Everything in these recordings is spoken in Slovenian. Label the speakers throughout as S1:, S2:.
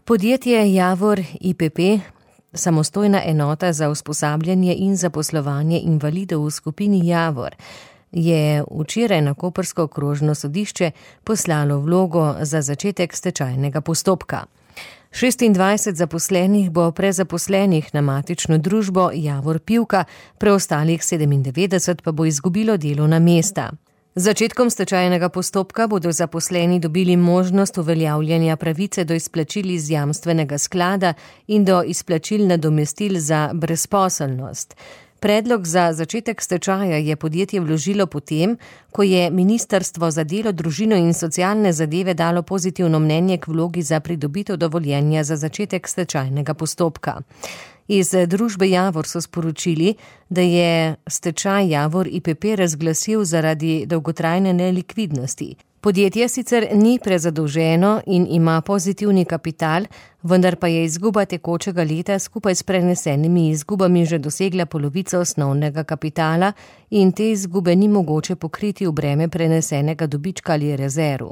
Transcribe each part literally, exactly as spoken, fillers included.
S1: Podjetje Javor I P P, samostojna enota za usposabljanje in zaposlovanje invalidov v skupini Javor, je včeraj na koprsko okrožno sodišče poslalo vlogo za začetek stečajnega postopka. šestindvajset zaposlenih bo prezaposlenih na matično družbo Javor Pivka, preostalih sedemindevetdeset pa bo izgubilo delovna mesta. Z začetkom stečajnega postopka bodo zaposleni dobili možnost uveljavljanja pravice do izplačil iz jamstvenega sklada in do izplačil nadomestil za brezposelnost. Predlog za začetek stečaja je podjetje vložilo potem, ko je Ministrstvo za delo, družino in socialne zadeve dalo pozitivno mnenje k vlogi za pridobitev dovoljenja za začetek stečajnega postopka. Iz družbe Javor so sporočili, da je stečaj Javor I P P razglasil zaradi dolgotrajne nelikvidnosti. Podjetje sicer ni prezadolženo in ima pozitivni kapital, vendar pa je izguba tekočega leta skupaj s prenesenimi izgubami že dosegla polovico osnovnega kapitala in te izgube ni mogoče pokriti v breme prenesenega dobička ali rezerv.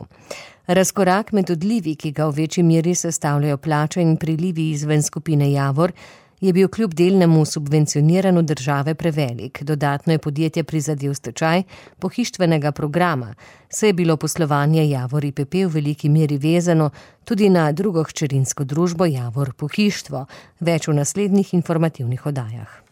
S1: Razkorak med odlivi, ki ga v večji meri sestavljajo plače in prilivi izven skupine Javor, je bil kljub delnemu subvencioniranju države prevelik. Dodatno je podjetje prizadel stečaj pohištvenega programa, saj je bilo poslovanje Javor I P P v veliki meri vezano tudi na drugo hčerinsko družbo Javor Pohištvo. Več v naslednjih informativnih oddajah.